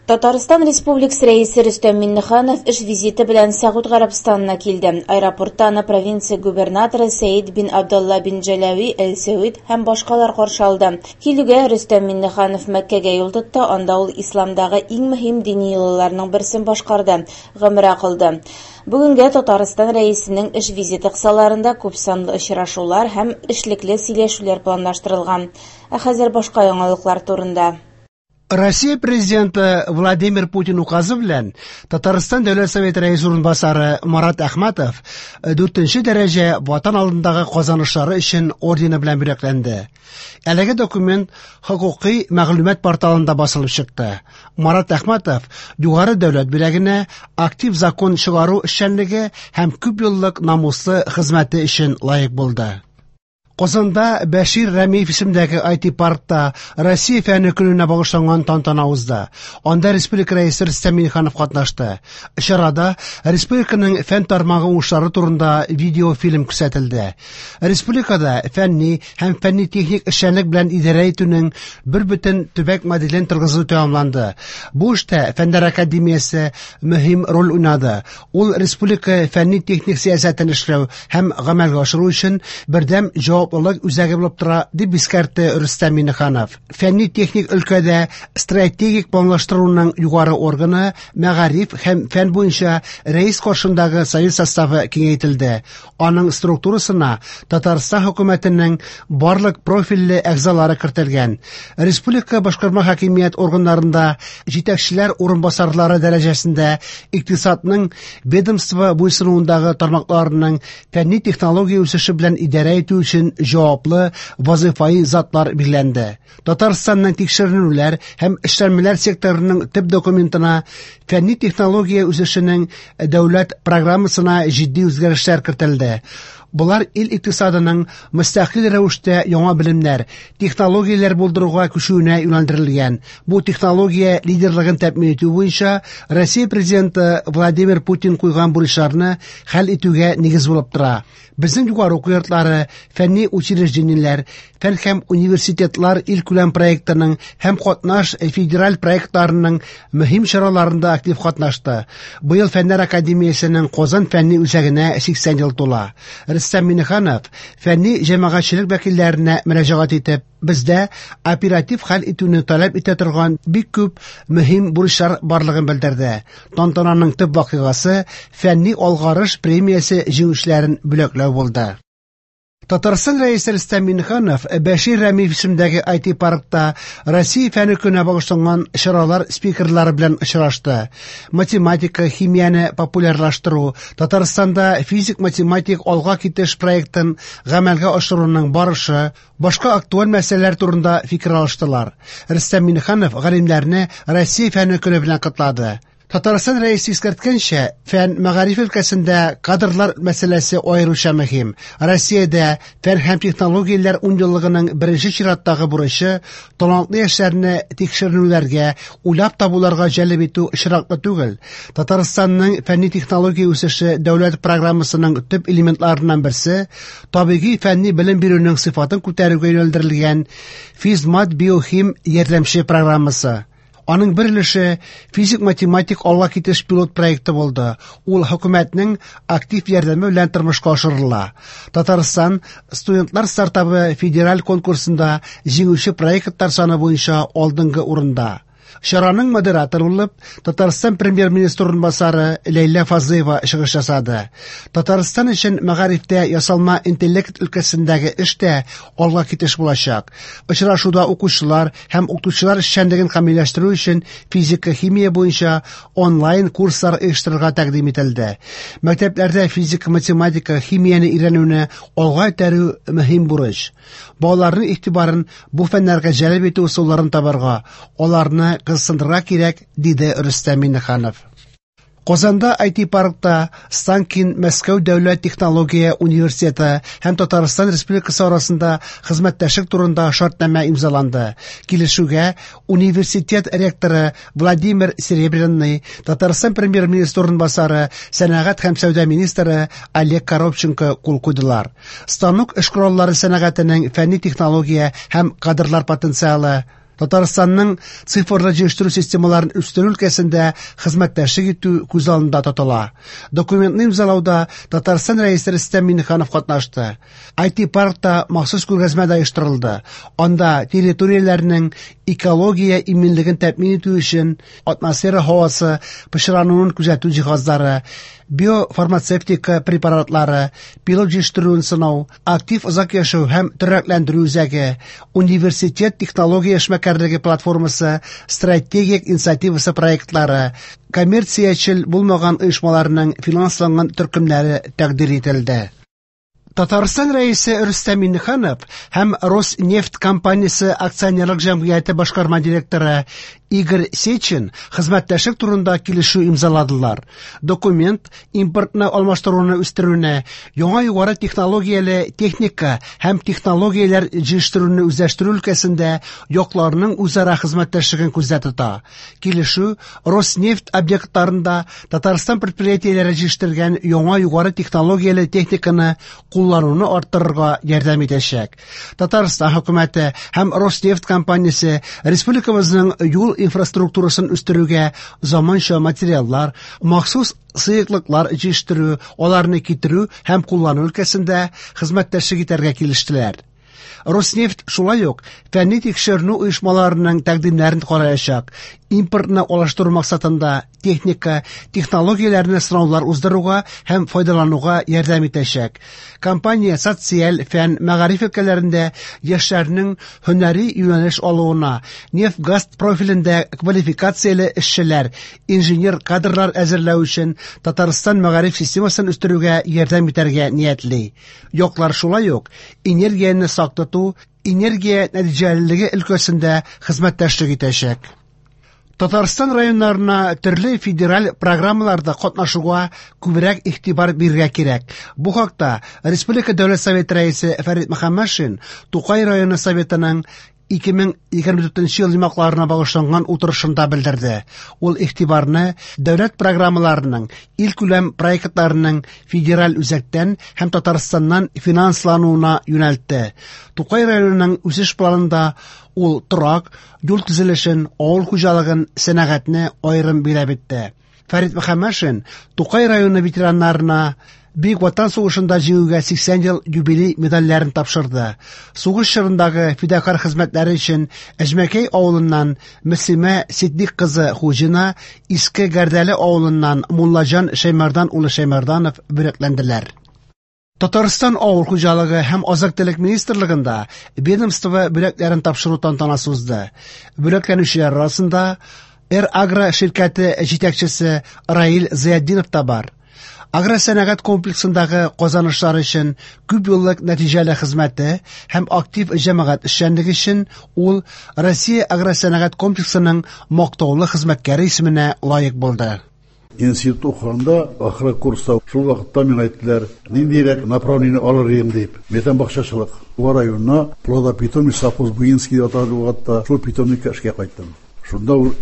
Татарстан Республикасы Рәисе Рөстәм Миңнеханов эш визиты белән Сәгуд Гарәбстанына килде. Аэропортта аны провинция губернаторы Сәид бин Абдулла бин Җәләви әл-Сәүд һәм башкалар каршы алды. Килүгә Рөстәм Миңнеханов Мәккәгә юл тотты, анда ул исламдагы иң мөһим дини йолаларның берсен башкарды гомрә кылды. Бүгенгә Татарстан Рәисенең эш визиты кысаларында күпсанлы очрашулар һәм эшлекле сөйләшүләр планлаштырылган. Ә хәзер башка яңалыклар турында. Россия президенты Владимир Путин указы белән Татарстан Дәүләт Советы рәисе урынбасары Марат Әхмәтов 4 дәрәҗә Ватан алдындагы казанышлары өчен ордены белән бүләкләнде. Әлеге документ хокукый мәгълүмат порталында басылып чыкты. Марат Әхмәтов югары дәүләт бүләгенә актив закон чыгару эшчәнлеге һәм күп еллык намуслы хезмәте өчен лаек булды. Казанда Бәшир Рәмиев исемендәге IT-паркта Россия фәне көненә багышланган тантана узды. Анда республика рәисе Рөстәм Миңнеханов катнашты. Чарада республиканың фән тармагы уңышлары турында видеофильм күрсәтелде. Республикада фәнни һәм фәнни-техник эшчәнлек белән идарә итүнең бер бөтен төбәк моделен торгызу тәмамланды. Бу эштә Фәннәр академиясе мөһим роль уйнады. Ул республика фәнни-техник сәясәтен эшләү һәм гамәлгә ашыру өчен бердәм җаваплылык үзәге булып тора, дип искәртте Рөстәм Миңнеханов. Фәнни-техник өлкәдә стратегик планлаштыруның югары органы мәгариф һәм фән буенча рәис каршындагы совет составы киңәйтелде. Аның структурасына Татарстан хөкүмәтенең барлык профильле әгъзалары кертелгән. Республика башкарма хакимият органнарында җитәкчеләр урынбасарлары дәрәҗәсендә икътисадның ведомство буйсынуындагы тармакларының фәнни технология үсеше белән идарә итү өчен җаваплы вазыйфаи затлар билгеләнде. Татарстанның тикшеренүләр һәм эшләнмәләр секторының төп документына фәнни технология үсешенең дәүләт программасына җитди үзгәрешләр кертелде. Болар ил икътисадының мөстәкыйль рәвештә яңа белемнәр, технологияләр булдыруга күчүенә юнәлдерелгән. Бу технология лидерлыгын тәэмин итү буенча Россия президенты Владимир Путин куйган бурычларны хәл итүгә нигез булып тора. Безнең югары уку йортлары, фәнни учреждениеләр, фән һәм университетлар илкүләм проектының һәм катнаш федераль проектларының мөһим чараларында актив катнашты. Быел Фәннәр академиясенең Казан фәнни үзәгенә 80 ел тула. Рөстәм Миңнеханов фәнни җәмәгатьчелек вәкилләренә мөрәҗәгать итеп, бездә оператив хәл итүне таләп итә торган бик күп мөһим бурычлар барлыгын белдерде. Тантананың төп вакыйгасы фәнни алгарыш премиясе җиңүчеләрен бүләкләү булды. Татарстан Рәисе Рөстәм Миңнеханов Бәшир Рәмиев исемендәге IT-паркта Россия фәне көненә багышланган чаралар спикерлары белән очрашты. Математика, химияне популярлаштыру, Татарстанда физик-математик алга китеш проектын гамәлгә ашыруның барышы, башка актуаль мәсьәләләр турында фикер алыштылар. Рөстәм Миңнеханов галимнәрне Россия фәне көне белән котлады. Татарстан Рәисе искәрткәнчә, фән мәгариф өлкәсендә кадрлар мәсьәләсе аеруча мөһим. Россиядә фән һәм технологияләр унъеллыгының беренче чираттагы бурычы талантлы яшьләрне тикшеренүләргә, уйлап табуларга җәлеп итү очраклы түгел. Татарстанның фәнни технология үсеше дәүләт программасының төп элементларыннан берсе табигый фәнни белем бирүнең сыйфатын күтәрүгә юнәлдерелгән физмат биохим ярдәмче программасы. Аның бер өлеше физик-математик алга китеш пилот проекты булды. Ул хөкүмәтнең актив ярдәме белән тормышка ашырыла. Татарстан студентлар стартабы федераль конкурсында җиңүче проектлар саны буенча алдынгы урында. Чараның модераторы булып Татарстан премьер-министры урынбасары Ләйлә Фазлыева чыгыш ясады. Татарстан өчен мәгарифтә ясалма интеллект өлкәсендәге эш тә алга китеш булачак. Очрашуда укучылар һәм укытучылар эшчәнлеген камилләштерү өчен физика, химия буенча онлайн курслар оештырырга тәкъдим ителде. Мәктәпләрдә физика, математика, химияне өйрәнүне алга этәрү мөһим бурыч. Балаларның игътибарын бу фәннәргә җәлеп итү ысулларын табарга, аларны кызыксындырырга кирәк, диде Рөстәм Миңнеханов. Казанда IT-паркта Станкин Мәскәү дәүләт технология университеты һәм Татарстан Республикасы арасында хезмәттәшлек турында шартнамә имзаланды. Килешүгә университет ректоры Владимир Серебряный, Татарстан премьер-министры урынбасары, сәнәгать һәм сәүдә министры Олег Коробченко кул куйдылар. Станок эш кораллары сәнәгатенең фәнни технология һәм кадрлар потенциалы. Татарстанның цифрлы җыештыру системаларын үстерү өлкәсендә хезмәттәшлек итү күз алдында тотыла. Документны имзалауда Татарстан Рәисе Рөстәм Миңнеханов катнашты. IT-паркта махсус күргәзмә дә оештырылды. Анда территорияләрнең экология иминлеген тәэмин итү өчен атмосфера һавасы пычрануын күзәтү җиһазлары, биофармацевтика препаратлары, пилот җитештерүен сынау, актив озак яшәү һәм тернәкләндерү үзәге, университет технология эшмәкәрлеге платформасы стратегик инициативасы проектлары, коммерциячел булмаган оешмаларның финансланган төркемнәре тәкъдир ителде. Татарстан Рәисе Рөстәм Миңнеханов һәм Роснефть компаниясе акционерлык җәмгыяте башкарма директоры Игорь Сечин хезмәттәшлек турында килешү имзаладылар. Документ импортны алмаштыруны үстерүне, яңа югары технологияле техника һәм технологияләр җитештерүне үзләштерү өлкәсендә якларның үзара хезмәттәшлеген күздә тота. Килешү Роснефть объектларында Татарстан предприятиеләре җитештергән яңа югары технологияле техниканы куллануны арттырырга ярдәм итәчәк. Татарстан хөкүмәте һәм Роснефть компаниясе республикабызның юл инфраструктурасын үстерүгә заманча материаллар, махсус сыеклыклар җитештерү, аларны китерү һәм куллану өлкәсендә хезмәттәшлек итәргә килештеләр. Роснефть шулай ук фәнни тикшеренү оешмаларының тәкъдимнәрен караячак, импортны алыштыру максатында техника, технологияләрне сынаулар уздыруга һәм файдалануга ярдәм итәчәк. Компания социаль, фән, мәгариф өлкәләрендә яшьләрнең һөнәри юнәлеш алуына, нефть-газ профилендә квалификацияле эшчеләр, инженер кадрлар әзерләү өчен Татарстан мәгариф системасын үстерүгә ярдәм итәргә ниятли. Яклар шулай ук энергияне сак тоту, энергия нәтиҗәлелеге өлкәсендә хезмәттәшлек итәчәк. Татарстан районнарына төрле федераль программаларда катнашуга күбрәк игътибар бирергә кирәк. Бу хакта Республика Дәүләт Советы рәисе Фәрит Мөхәммәтшин Тукай районы Советының 2024 ел йомгакларына багышланган утырышында белдерде. Ул игътибарны дәүләт программаларының, илкүләм проектларының федераль үзәктән һәм Татарстаннан финанслануына юнәлтте. Тукай районының үсеш планында ул торак, юл төзелешен, авыл хуҗалыгын, сәнәгатьне аерым билгеләп үтте. Фәрит Мөхәммәтшин Тукай районы ветераннарына Бөек Ватан сугышында җиңүгә 80 ел юбилей медальләрен тапшырды. Сугыш чорындагы фидакарь хезмәтләре өчен Әҗмәкәй авылыннан Мөслимә Ситдик кызы Хуҗина, Иске Гәрдәле авылыннан Муллаҗан Шәймәрдан улы Шәймәрданов бүләкләнделәр. Татарстан авыл хуҗалыгы һәм азык-төлек министрлыгында ведомство бүләкләрен тапшыру тантанасы узды. Бүләкләнүчеләр арасында Эр-Агро ширкәте җитәкчесе Раил Зыятдинов та бар. Агросәнәгать комплексындагы казанышлар өчен күп еллык нәтиҗәле хезмәте һәм актив җәмәгать эшчәнлеге өчен ул Россия агросәнәгать комплексының мактаулы хезмәткәре исеменә лаек булды. Институт укыганда, ахыргы курста, шул вакытта миңа әйттеләр, ниндирәк направление алыр идем дип. Мин әйтәм, бакчачылык. Буа районына плодопитомник совхоз Буинский дип аталды ул вакытта, шул питомникка эшкә кайттым. Шунда ул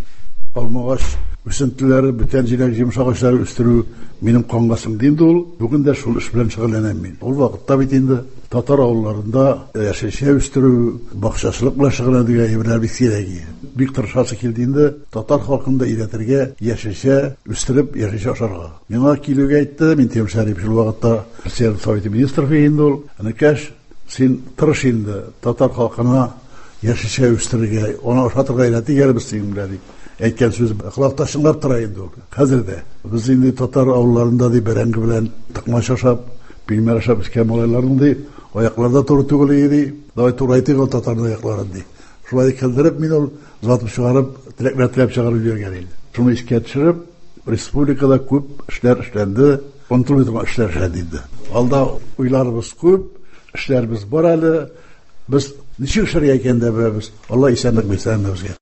алмагач үсентеләре, бүтән җиләк-җимеш агачлары үстерү минем канга сеңде инде ул. Бүген дә шул эш белән шөгыльләнәм мин. Ул вакытта бит инде татар авылларында яшелчә үстерү, бакчачылык белән шөгыльләнү дигән әйберләр бик сирәк иде. Бик тырышасы килде инде татар халкын да өйрәтергә, яшелчә үстереп, яшелчә ашарга. Миңа килүгә әйтте, Минтимер Шәрипович ул вакытта Председатель Совета Министров инде ул. Энекәш, син тырыш инде, татар халкына яшелчә үстерергә, аны ашатырга өйрәтик әле без синең белән, дип әйткән сүз колакта чыңлап тора инде ул. Хәзер дә. Без инде татар авылларында ди бәрәңге белән токмач ашап, пилмән ашап үскән малайларның ди аяклары да туры түгел иде ди. Давай турайтыйк ул татарның аякларын ди. Шулай килдереп мин ул озатып чыгарып, теләкләр теләп чыгарып җибәргән инде. Шуны искә төшереп, республикада күп эшләр эшләнде, онытылмый торган эшләр эшләнде инде. Алда уйларыбыз күп, эшләребез бар әле. Без ничек эшләргә икәнен дә беләбез. Алла исәнлек бирсен һәммәбезгә.